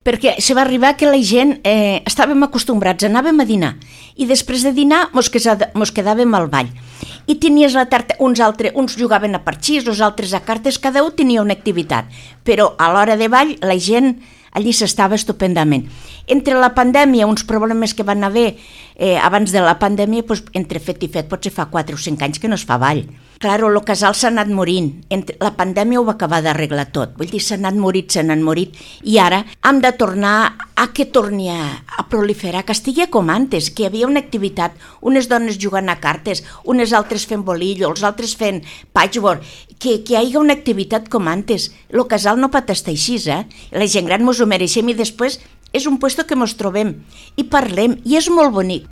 Perquè se va arribar que la gent estàvem acostumbrats, anàvem a dinar i després de dinar mos quedàvem al ball i tenies la tarda, uns jugaven a parxís, els altres a cartes, cada un tenia una activitat, però a l'hora de ball la gent allí s'estava estupendament. Entre la pandèmia, uns problemes que van haver abans de la pandèmia, doncs, entre fet i fet potser fa 4 o 5 anys que no es fa ball. Claro, el casal s'ha anat morint. La pandèmia ho va acabar d'arreglar tot. Vull dir, s'ha anat morit, i ara hem de tornar a que torni a proliferar, que estigui com antes, que hi havia una activitat, unes dones jugant a cartes, unes altres fent bolillo, els altres fent patchwork, que hi hagi una activitat com antes. El casal no pot estar així, La gent gran mos ho mereixem i després és un puesto que mos trobem i parlem i és molt bonic.